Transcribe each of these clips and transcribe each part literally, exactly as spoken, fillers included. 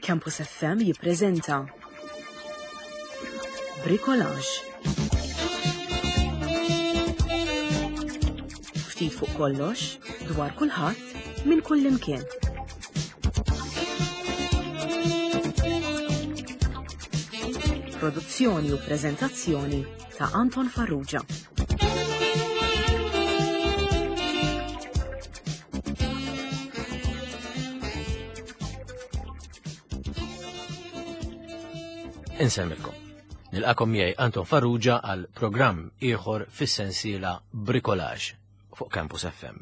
Campus F M jippreżenta Bricolage. Ftit fuq kollox, dwar kulħadd, minn kull imkien. Produzzjoni u preżentazzjoni ta' Anton Farrugia. Insemmilkom. Nilqakom miegħi Anton Farrugia għal programm ieħor fis-sensiela Bricolage fuq Campus F M.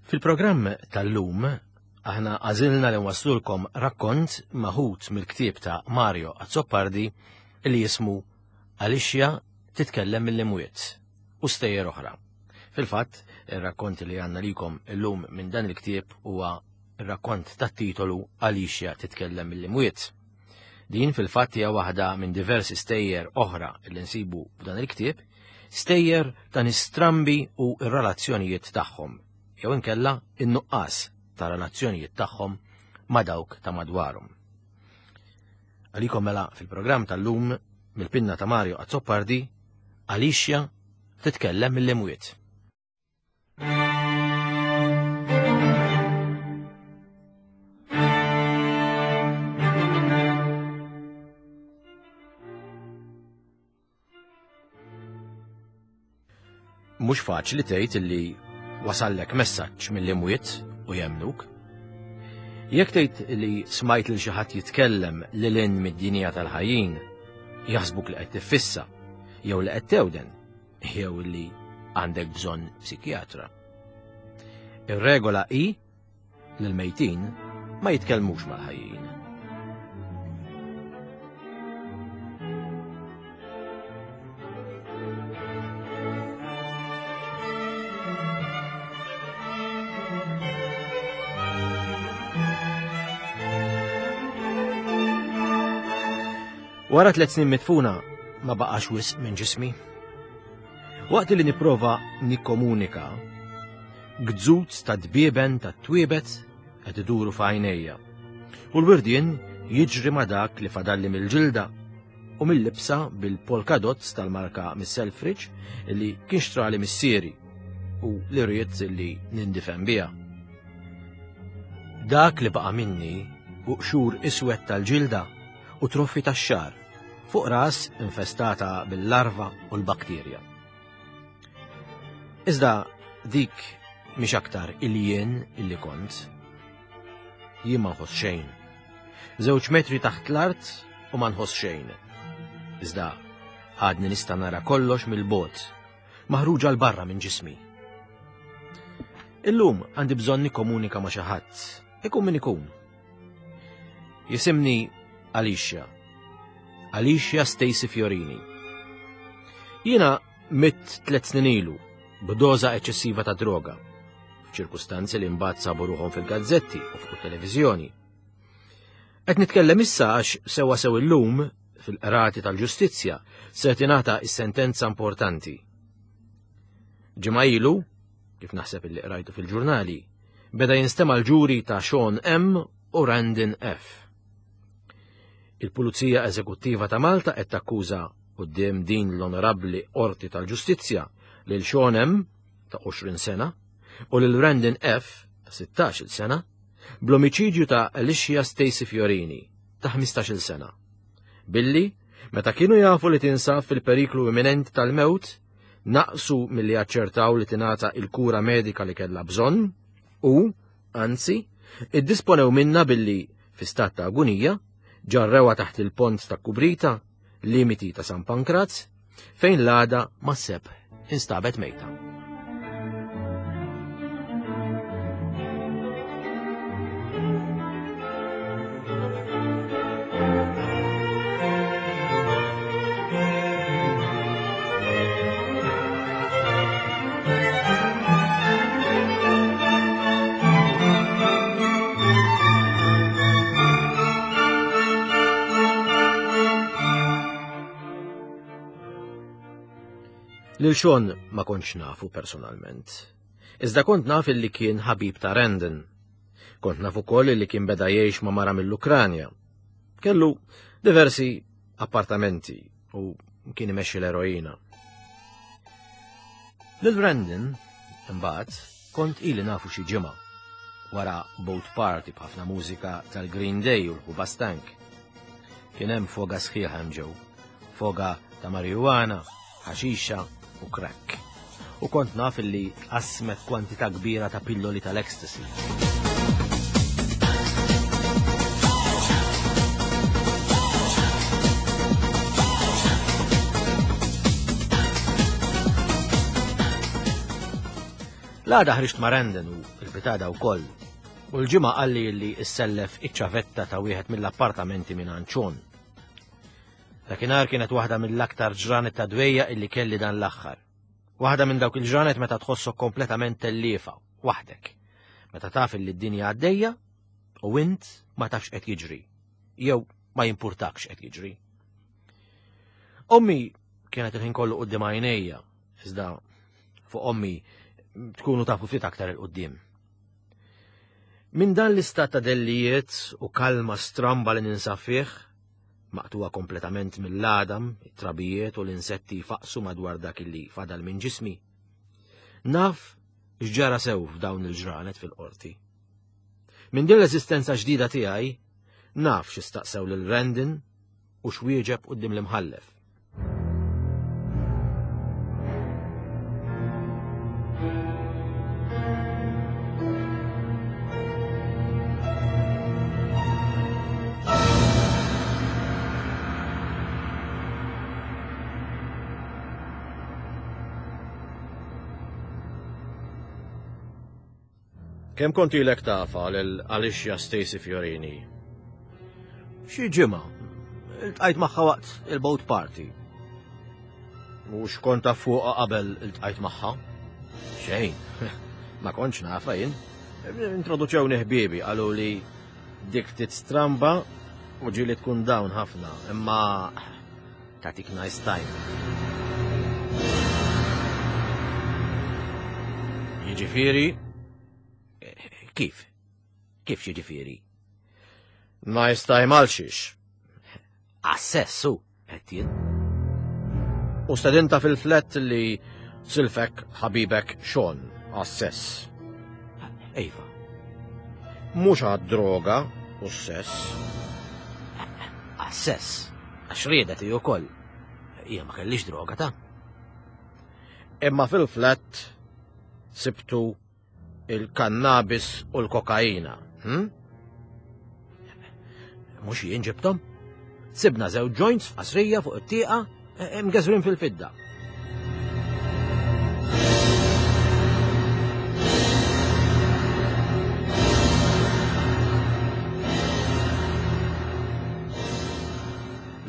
Fil-programm tal-lum aħna għażilna li nwaslulkom rakkont maħud mill-ktieb ta' Mario Azzopardi li jismu Alicia titkellem mill-imwiet u stejjer oħra. Fil-fatt, ir-rakkont li għandna likom illum minn dan il-ktieb huwa ir-rakkont tat-titolu Alicia titkellem mill-imwiet. Din fil-fatt hija waħda minn diversi stejjer oħra li nsibu f'dan il-ktieb, stejjer ta' nistrambi u r-relazzjonijiet tagħhom, jew inkella in-nuqqas ta' relazzjonijiet tagħhom ma' dawk ta' madwarhom. Għalikom mela fil-programm tal-lum mill-pinna ta' Mario Azzopardi, Alicia titkellem mill-imwiet. Mhux faċli tgħid illi wasallek messaġġ mill-imwiet u jemnuk. Jekk tgħid li smajt lil xi ħadd jitkellem lil hinn mid-dinja tal-ħajjin, jaħsbuk li qed tiffissa, jew li qed tewden, jew li għandek bżonn psikjatra. Ir-regola hi li l-mejtin ma jitkellmux mal-ħajjin. Wara tliet snin midfuna ma baqax wisq minn ġismi. Waqt li nipprova nikkomunika, gżut ta' dbieben ta' twiebet qed iduru f'għajnejja. U l-wirdien jiġri ma' dak li fadalli mill-ġilda u mill-libsa bil-polka dots tal-marka mis-Selfridge li kien xtrali missieri u li rrid li nindifen biha. Dak li baqa' minni u qxur iswed tal-ġilda u troffi tax-xagħar fuq ras infestata bil-larva u l-bakterja. Iżda dik mhix aktar il-jien illi kont. Jien ma nħoss xejn. Żewġ metri taħt l-art u ma nħoss xejn. Iżda għadni nista' nara kollox mill-bogħod, maħruġa l barra minn ġismi. Illum għandi bżonn nikkomunika ma' xi ħadd, ikun min ikun. Jisimni Alicia. Alicia Stacy Fiorini. Jiena mitt tliet snin ilu b'doża eċċessiva ta' droga, f'ċirkustanzi li mbagħad sabu ruħhom fil-gazzetti u fuq it-televiżjoni. Qed nitkellem issa għax sewwa sew illum fil-qrati tal-ġustizzja se tingħata s-sentenza importanti. Ġimgħa ilu, kif naħseb illi qrajtu fil-ġurnali, beda jinstema' l-ġuri ta' Sean M u Randon F. Il-Pulizija Eżekuttiva ta' Malta qed takkuża quddiem din l-Onorabbli Qorti tal-Ġustizzja lil Sean M ta' għoxrin sena u lil Randon F ta' sittax-il sena bl-omiċidju ta' Alicia Stacy Fiorini ta' ħmistax-il sena. Billi, meta kienu jafu li tinsab fil-periklu imminenti tal-mewt, naqsu milli jaċċertaw li tingħata il-kura medika li kellha bżonn u, anzi, iddisponew minna billi fi stat ta' agunija ġarrewa taħt il-pont ta' Kubrita, limiti ta' San Pankraz, fejn l-għada ma' seb instabet mejta. Lil Sean ma kontx nafu personalment. Iżda kont naf illi kien ħabib ta' Randon. Kont naf ukoll li kien beda jgħix ma' mara mill-Ukranja. Kellu diversi appartamenti u kien imexxi l-eroina. Lil Brandon, imbagħad, kont ili nafu xi ġimgħa wara boat party b'ħafna mużika tal-Green Day u l-Hoobastank. Kien hemm foga sħiħa hemm ġew, foga ta' marijuana, ħaxixa u crack. U kont naf li qasmet kwantità kbira ta' pilloli tal-ecstasy. L-għada ħriġt ma' Brandon u l-bitada wkoll. U l-ġimgħa qalli li issellef iċ-ċavetta ta' wieħed mill-appartamenti minn Anċon. Dakinhar kienet waħda mill-aktar ġranet ta' dwejja illi kelli dan l-aħħar. Waħda minn dawk il-ġranet meta tħossok kompletament telliefa, waħdek. Meta taf li d-dinja għaddejja u int ma tafx qed jiġri, jew ma jimpurtakx qed jiġri. Ommi kienet il-ħin kollu quddiem għajnejja, iżda fuq ommi tkunu tafu ftit aktar il-qoddim. Minn dan l-istat ta' dellijiet u kalma stramba li ninsab fih, maqtuwa kompletament mill-għadam, it-trabijiet u l-insetti faqsu madwar dak li fadal minn ġismi. Naf x'ġara sew f'dawn il-ġranet fil-qorti. Minn din l-eżistenza ġdida tiegħi, naf x'istaqsew lil Brandon u x'wieġeb quddiem l-imħallef. Kemm kont ilek tafa lil Alicia Stacy Fiorini? Xi ġimgħa. Iltqajt magħha waqt il-boat party. Mhux kont taf fuqha qabel iltqajt magħha? Xejn. Ma kontx nafha jien. Introduċewni ħbiebi, qalu li dik ftit stramba u ġieli tkun dawn ħafna, imma tagħtik nice time. Jiġifieri, kif? Kif jiġifieri? Nice time għal xiex? Għas-sess, hu, qed jien. U stedinta fil-flat li silfek ħabibek Sean għas-sess. Ejfa. Mhux għad-droga u s-sess. Għas-sess, għax riedet hi wkoll. Hija ma kellix droga ta'. Imma fil-flat sibtu il-kannabis u l-kokaina. Hm? Mhux jien ġibthom. Sibna żewġ joints f'qasrija fuq it-tieqa mgeżwrin fil-fidda.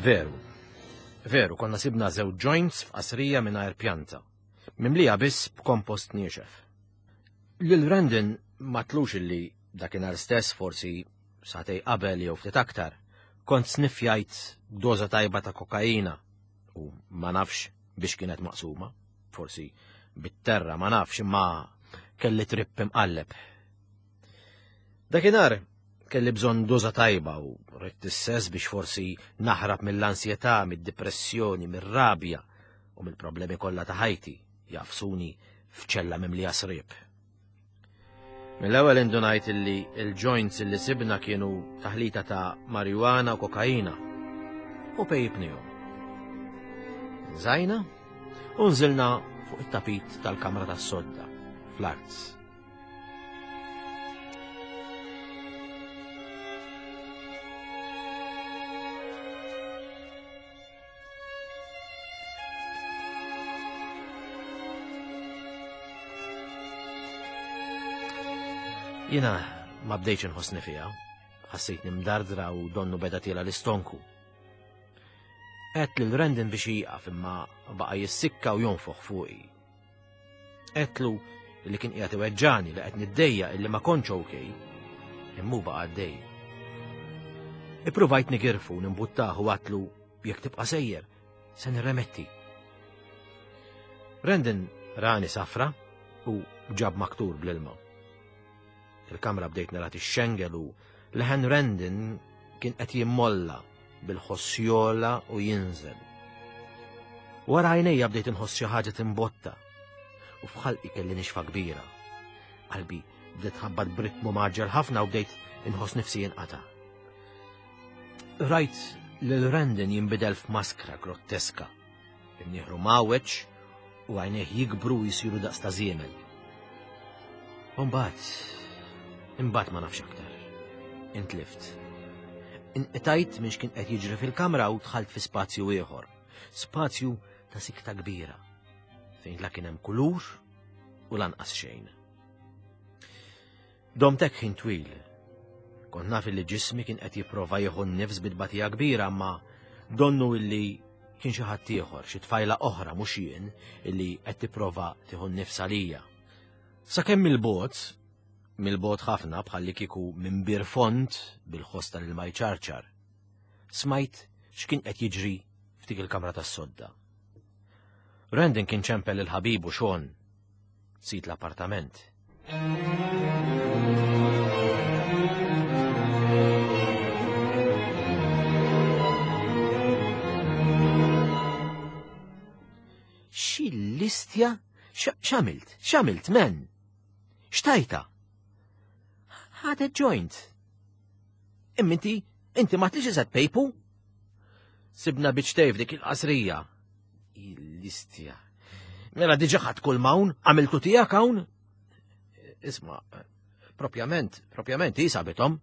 Veru, veru, konna sibna żewġ joints f'qasrija mingħajr pjanta, mimlija biss b'kompost niexef. Lil Brandon ma tlux illi dakinhar stess, forsi sagħtej qabel jew ftit aktar, kont sniffjajt doża tajba ta' kokaina u ma nafx biex kienet maqsuma, forsi bit-terra ma nafx, imma kelli tripp imqalleb. Dakinhar kelli bżonn doża tajba u ridt is-sess biex forsi naħrab mill-ansjetà, mid-depressjoni, mir-rabja u mill-problemi kollha ta' ħajti jafsuni f'ċella mimlija sriep. Mill-ewwel indunajt illi il-joints illi sibna kienu taħlita ta' marijuana u kokaina u pejjibnihom. Nżajna u nżilna fuq it-tapit tal-kamra tas-sodda fl-arts. Jiena ma bdejtx inħossni fiha, ħassejtni mdardra u donnu beda tiela l-istonku. Għedt lil Brandon biex jieqaf imma baqa' jissikka u jonfoħ fuqi. Għedtlu li kien qiegħed iweġġani li qed niddejja illi ma kontx okej, imma hu baqa' għaddej. Ippruvajt nigirfu nimbuttah u għedtlu jekk tibqa' sejjer, se nirremetti. Brandon rani safra u ġab maktur bl-ilma. Il-kamra bdejt nara tixxengel u leħen Rendin kien qed jimmolla bil-ħossjola u jinżel. Wara għajnejja bdejt inħoss xi ħaġa timbotta u f'ħalqi kelli nixfa kbira. Qalbi bdiet tħabbat b'ritmu maġġel ħafna u bdejt inħoss nifsi jinqata'. Rajt lil Rendin jinbidel f'maskra grotteska. Imnieħru mawweġ u għajnejh jikbru u jsiru daqs ta' żiemel. U mbagħad, imbagħad ma nafx aktar. Intlift. Inqtajt minn x'kien qed jiġri fil-kamra u dħalt fi spazju ieħor. Spazju ta' sikta kbira, fejn la kien hemm kulur u lanqas xejn. Domtek ħin twil. Kont naf li ġismi kien qed jipprova jieħu n-nifs bi tbatija kbira, ma donnu illi kien xi ħadd ieħor, xi tfajla oħra mhux jien illi qed tipprova tieħu n-nifs għalija. Sakemm mill-bogħod, mill-bogħod ħafna bħalli kieku minn bir fond bil-ħoss tal-ilma jċarċar, smajt x'kien qed jiġri f'dik il-kamra tas-sodda. Rendin kien ċempel il-ħabib u Sean, sid l-appartament. Xi listja? X'għamilt? X'għamilt, men? X'tajta? Ħadet joint. Imma inti, inti ma tlix iżgħat pejpu? Sibna biċ dik il-qasrija. Il-listja. Mela diġa ħadd kull m'hawn, għamiltu tiegħek hawn? Isma', propjament, propjament hi sabithom.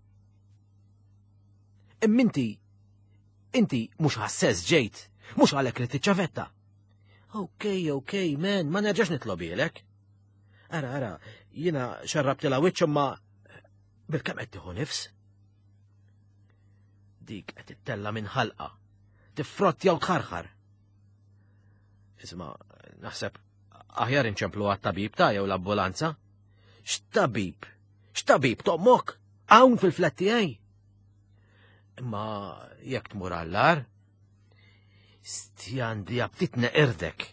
Imma inti, inti mhux ħassess ġejt, mhux għalhekk li tiċċavetta. Ok, ok, man, ma nerġax nitlobilek. Ara, ara, jiena xarrabtilha wiċċ imma bil-kemm qed tieħu nifs. Dik qed tittella minn ħalqa, tiffrottja u tħarħar. Isma', naħseb aħjar inċemplu għat-tabib ta' jew l-ambulanza. X'tabib? X'tabib tommok? Hawn fil-flat tiegħi. Imma jekk tmur għall-ar, stjandi aptit neqirdek.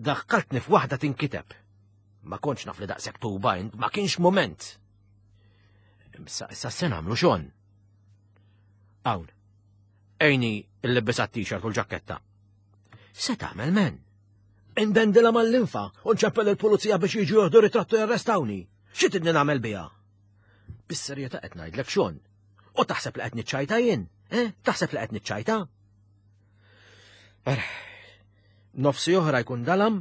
Daħkaltni f'waħda tinkiteb. Ma kontx naf li daqshekk tuba int, ma kienx mument. Issa issa se nagħmlu Sean. Hawn. Ejni l-libbis t-t-shirt u l-ġaketta. Se tagħmel men? Indendilha mal-linfa u nċempel il-pulizija biex jiġu jieħdu ritrattu jarrestawni. Xi tridni nagħmel biha? Bis-serjetà qed ngħidlek Sean. U taħseb li qed niċċajta jien? Eh? Taħseb li qed niċċajta? Ara, nofsi oħra jkun dalam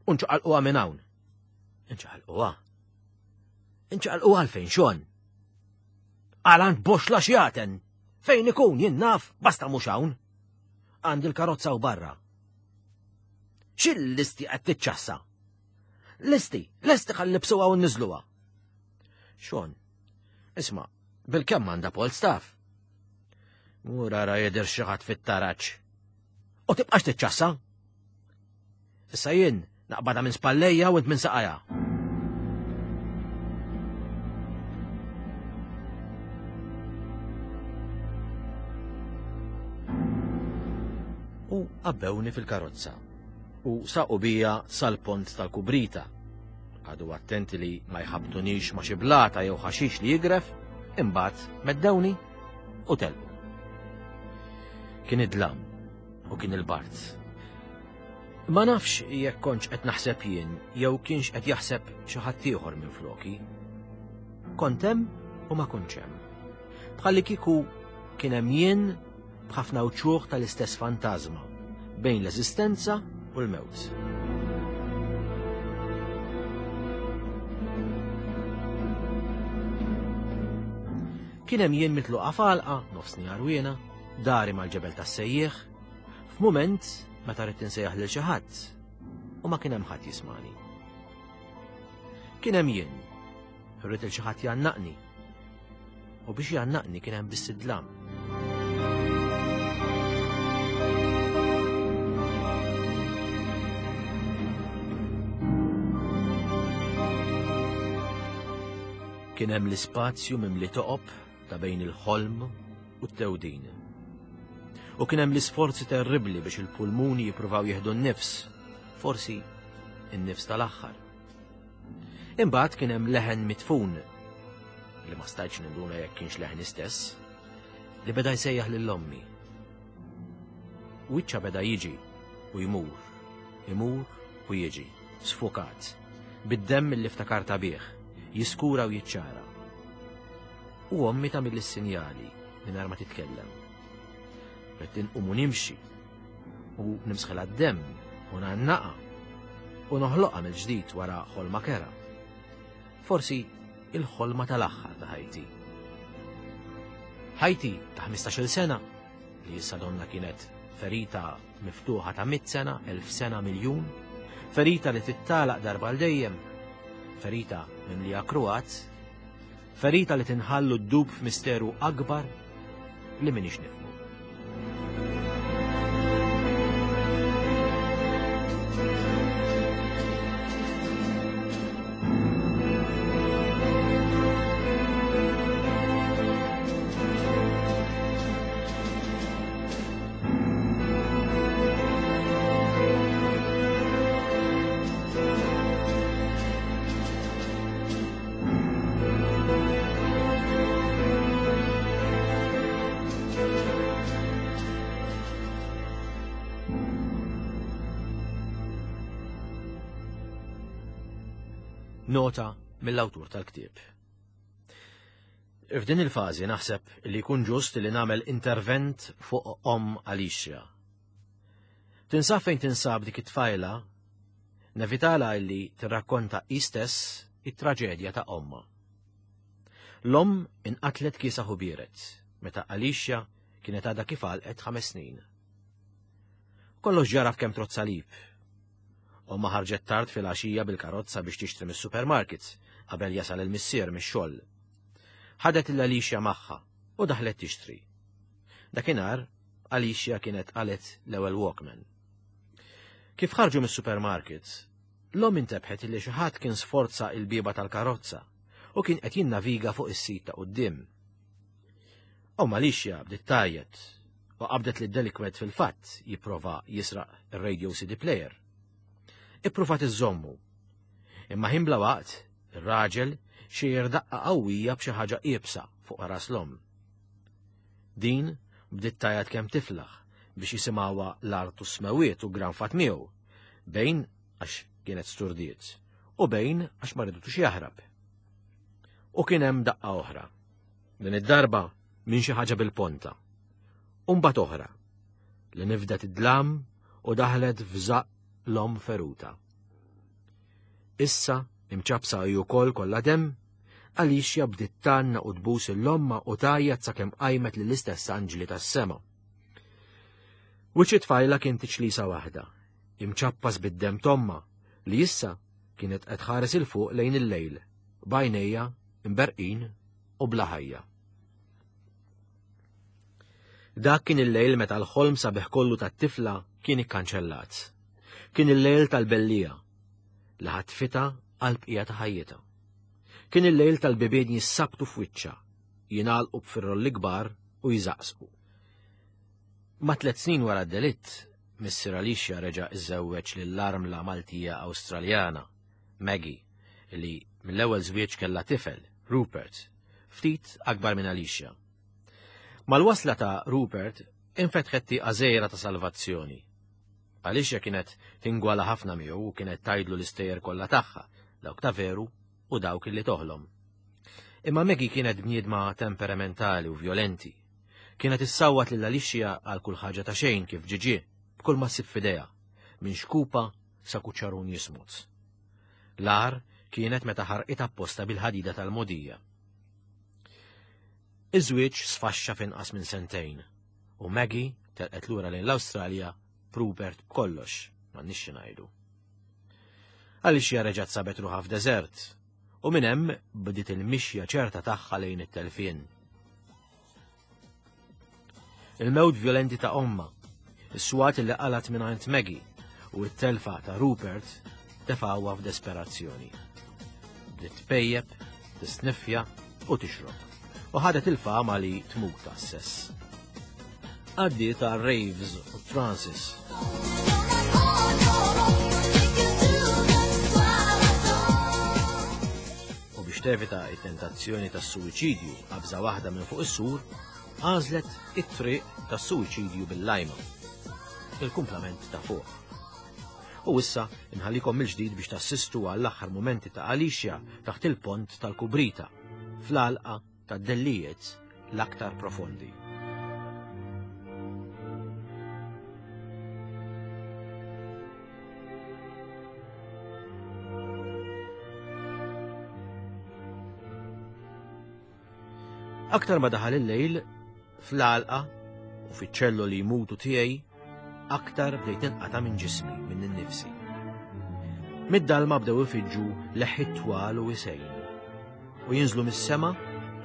u nċaqalquha minn hawn. Nċaqalquha. Nċaqalquha għalfejn Sean. Għal għand boxla xjaten. Fejn ikun jien naf, basta mhux hawn. Għandi l-karozza u barra. X'il-listi qed tiċċassa? Listi, lesti ħallibsuha u nniżluha. Sean, isma', bil-kemm għandha Paul staff. Mur ara jidher xi ħadd fit-taraġ. U tibqax tiċċassa. Issa jien naqbadha minn spallejja u int minn saqajja. U għabbewni fil-karozza u saqu bija sal-pont tal-Kubrita. Għadu attenti li ma jħabtunix ma xi blata jew ħaxix li jigref, imbagħad meddewni u telqu. Kien id-dlam u kien il-bard. Ma nafx jekk kontx qed naħseb jien jew kienx qed jaħseb xi ħadd ieħor minn floki. Kont hemm u ma kontx hemm. Bħalli kieku kien hemm jien b'ħafna wċuħ tal-istess fantażma bejn l-eżistenza u l-mewt. Kien hemm jien mitluqa f'għalqa, nofsni għarwiena, dari mal-ġebel tas-sejjieħ, f'mument meta ridt insejjaħ lil xi ħadd u ma kien hemm ħadd jismani. Kien hemm jien, rrid il xi ħadd jgħannaqni. U biex jgħannaqni kien hemm biss id-dlam. Kien hemm l-ispazju mimli toqob ta' bejn il-ħolm u t-tewdin. U kien hemm l-isforzi terribbli biex il-pulmuni jippruvaw jieħdu n-nifs, forsi n-nifs tal-aħħar. Imbagħad kien hemm leħen mitfun, li ma stajtx ninduna jekk kienx leħni stess, li beda jsejjaħ lil ommi. Wiċċha beda jiġi u jmur, imur u jiġi, sfukat, bid-demm li ftakarta bih, jiskura u jiċċara. U ommi tagħmel is-sinjali mingħajr ma titkellem. Ridt inqum u nimxi u nimsħilha d-demm u ngħannaqa u noħloqha mill-ġdid wara ħolma kera. Forsi il-ħolma tal-aħħar ta' ħajti. Ħajti ta' ħmistax-il sena, li issa donna kienet ferita miftuħa ta' mitt sena, elf sena, miljun, ferita li tittalaq darba għal dejjem, ferita mimlija kruat, ferita li tinħallu d-dub f'misteru akbar li minix nifhmu. Nota mill-awtur tal-ktieb. F'din il-fażi naħseb li jkun ġust li nagħmel intervent fuq omm Alicia. Tinsab fejn tinsab dik it-tfajla, nevitala li tirrakkonta hi stess it-traġedja ta' ommha. L-omm inqatlet kiesaħ u bieret meta Alicia kienet għadha kif għalqet ħames snin. Kollox ġara f'kemm trozz salib. Omma ħarġet tard fil-għaxija bil-karozza biex tixtri mis-supermarkets qabel jasal il-missier mix-xogħol. Ħadet lil Alicia magħha u daħlet tixtri. Dakinhar Alicia kienet qalet l-ewwel Walkman. Kif ħarġu mis-supermarkets, l-omm intebħet li xi ħadd kien sforza il-bieba tal-karozza u kien qed jinnaviga fuq is-sit ta' quddiem. Omm Alicia bdiet tgħajjat u qabdet lid-delikwent fil-fatt jipprova jisraq ir-radio C D player. Ippruvat iżommu. Imma ħin bla waqt, ir-raġel xejjer daqqa qawwija b'xi ħaġa iebsa fuq ras l-omm. Din bdiet tgħajjat kemm tiflaħ biex jisimgħuha l-art u s-smewiet u granfat miegħu, bejn għax kienet sturdiet u bejn għax ma ridutux jaħrab. U kien hemm daqqa oħra, din id-darba minn xi ħaġa bil-ponta. U mbagħad oħra li nifdet id-dlam u daħlet f'żaqq l-omm feruta. Issa imċabsa hi wkoll kollha demm, Alicia bdiet tgħanna u tbus l-omma u tgħajjat sakemm qajmet lill-istess anġli tas-sema. Wiċċ it-tfajla kien tiċlisa waħda, imċappas bid-demm tomma li issa kienet qed tħares il fuq lejn il-lejl, b'għajnejha imberqin u bla ħajja. Dak kien il-lejl meta l-ħolm sabiħ kollu tat-tifla kien ikkanċellat. Kien il-lejl tal-bellija li ħatfitha għal bqija ta' ħajjitha. Kien il-lejl tal-bibien jissabtu f'wiċċha, jingħalqu b'firrolli kbar u jżaqsqu. Ma' tliet snin wara d-delitt, missier Alicia reġa' iżżewweġ lill-armla Maltija Awstraljana, Maggie, li mill-ewwel żwieġ kellha tifel, Rupert, ftit akbar minn Alicia. Mal-wasla ta' Rupert infetħet tieqa żgħira ta' salvazzjoni. Alicia kienet tingwala ħafna miegħu u kienet tgħidlu l-istejjer kollha tagħha, dawk ta' veru u dawk li toħlom. Imma Maggie kienet bniedma temperamentali u violenti. Kienet issawwat lil Alicia għal kull ħaġa ta' xejn kif ġiġi, b'kull ma ssib f'idejha, minn xkupa sa kuċċarun jismut. L-agħar kienet meta ħarqitha apposta bil-ħadida tal-modija. Iż-żwieġ sfaxxa f'inqas minn sentejn u Maggie telqet lura lejn l-Awstralja b'Rupert b'kollox, m'għandniex xi ngħidu. Alicia reġgħet sabet ruħha f'deżert u minn hemm bdiet il-mixja ċerta tagħha lejn it-telfien. Il-mewt violenti ta' omma, is-swat li qalat minn għand Maggie u t-telfa ta' Rupert tefgħuha f'desperazzjoni. Bdiet tpejjeb, tisniffja u tixrob u ħadet il-fama li tmut għas-sess. Għaddiet għal raves u trances. U biex Biex tevita it-tentazzjoni tas-suwiċidju qabża waħda minn fuq is-sur, għażlet it-triq tas-suwiċidju bil-lajma. Il-kumplament ta' fuq. U issa inħallikom mill-ġdid biex tassistu għall-aħħar mumenti ta' Alicia taħt il-pont tal-Kubrita, fl-għalqa tad-dellijiet l-aktar profondi. Aktar ma daħal il-lejl, fl-għalqa u fiċ-ċello li jmutu tiegħi, aktar bdejt inqata' minn ġismi, minn innifsi. Mid-dalma bdew ifiġġu leħħi twal u wisejn, u jinżlu mis-sema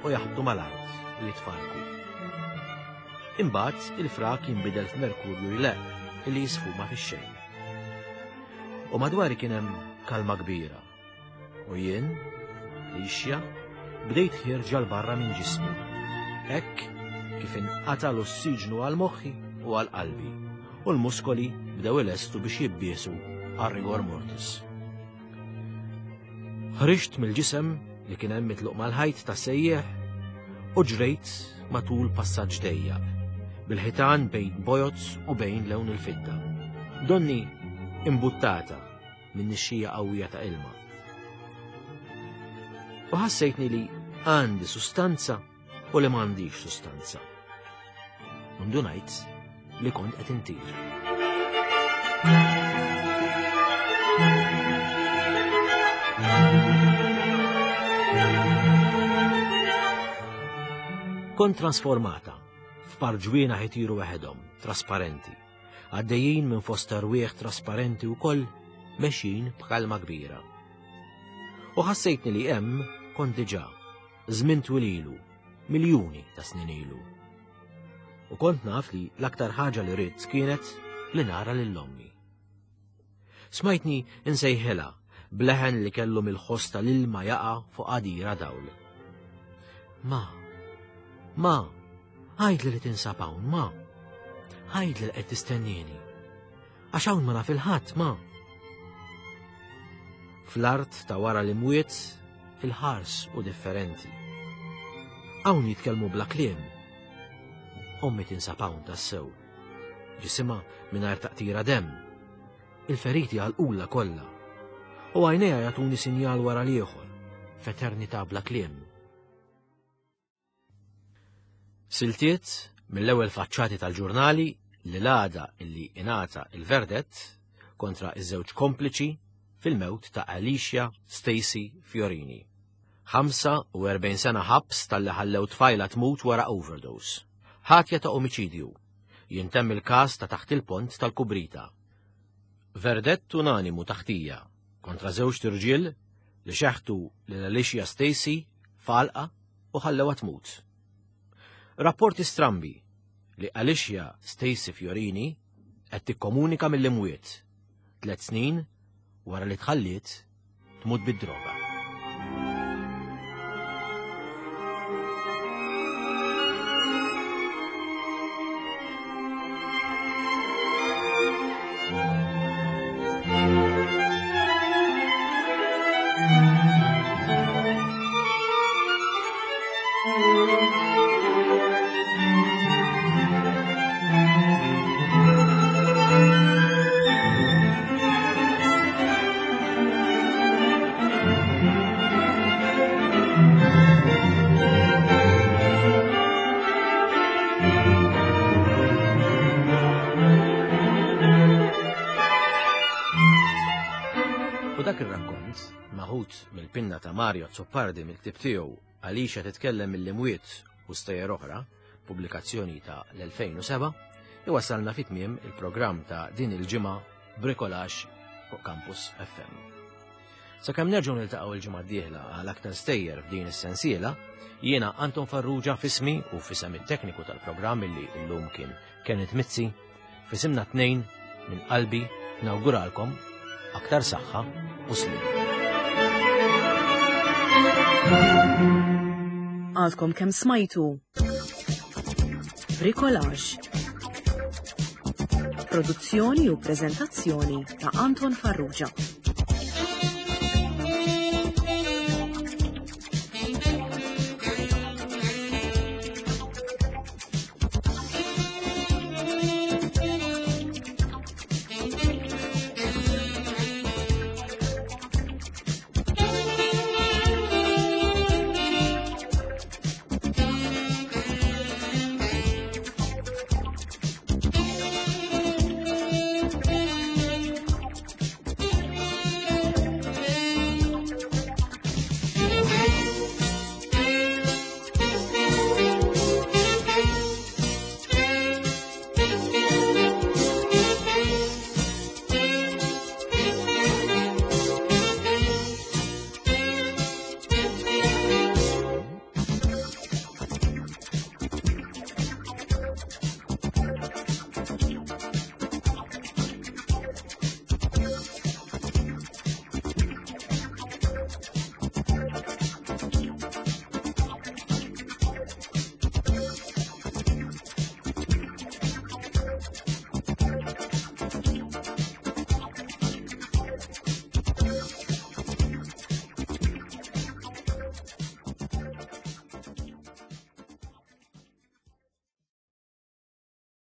u jaħbtu mal-art u jitfarku. Imbagħad il-frak jinbidel f'merkurju jleqq illi jisfuma fix-xejn. U madwari kien hemm kalma kbira. U jien, Alicia, bdejt ħierġa 'l barra minn ġismi. Hekk kif inqata' l-ossiġnu għal moħħi u għal qalbi, u l-muskoli bdew ilestu biex jibbiesu għal rigor mortis. Ħriġt mill-ġisem li kien hemm mitluq mal-ħajt ta' sejjeħ u ġrejt matul passaġġ dejjaq, bil-ħitan bejn bojod u bejn lewn il-fidda. Donni imbuttata minn nixxija qawwija ta' ilma. U ħassejtni li għandi sustanza u li m'għandix sustanza. U ndunajt li kont qed intir. Kont trasformata f'parġwina ħitiru waħedhom, trasparenti, għaddejjin minn fost erwieħ trasparenti wkoll mexjin b'kalma kbira. U ħassejtni li hemm kont diġà, żmien twil ilu, miljuni ta' snin ilu. U kont naf li l-aktar ħaġa li ridt kienet li nara lil ommi. Smajtni insejħilha bleħen li kellu mill-ħoss tal-ilma jaqa' fuq għadira dawl. Ma, ma, għajdli li tinsab hawn, ma. Għajdli li qed tistennini. Għax hawn ma naf il-ħadd, ma. Fl-art ta' wara l-imwiet, il-ħars u differenti. Hawn jitkellmu bla kliem. Ommi tinsab hawn tassew. Ġisimha mingħajr taqtira demm. Il-feriti għalqula kollha. U għajnejha jagħtuni sinjal wara l-ieħor, f'eternità bla kliem. Siltiet mill-ewwel faċċati tal-ġurnali li l-għada illi ingħata il-verdett kontra iż-żewġ kompliċi fil-mewt ta' Alicia Stacy Fiorini. ħamsa u erbgħin sena ħabs talli ħallew tfajla tmut wara overdose. Ħatja ta' omiċidju. Jintemm il-każ ta' taħt il-pont tal-Kubrita. Verdett unanimu taħtija kontra żewġ tirġiel li xeħtu lil Alicia Stacy f'għalqa u ħallewha tmut. Rapporti strambi li Alicia Stacy Fiorini qed tikkomunika mill-imwiet tliet snin wara li tħalliet tmut bid-droga. U dak ir-rakkont, maħut mill-pinna ta' Mario Azzopardi mill-ktieb tiegħu Alicia titkellem mill-imwiet u stejjer oħra, pubblikazzjoni ta' l-elfejn u seba', iwassalna fi tmiem il-programm ta' din il-ġimgħa Bricolage fuq Campus F M. Sakemm nerġgħu niltaqgħu il-ġimgħa d-dieħla għal aktar stejjer f'din is-sensiela, jiena Anton Farrugia f'ismi u f'isem it-tekniku tal-programm illi llum kien Kenneth Mizzi, f'isimna tnejn minn qalbi nawguralkom aktar saħħa u sliem. Għadkom kemm smajtu Bricolage. Produzzjoni u preżentazzjoni ta' Anton Farrugia.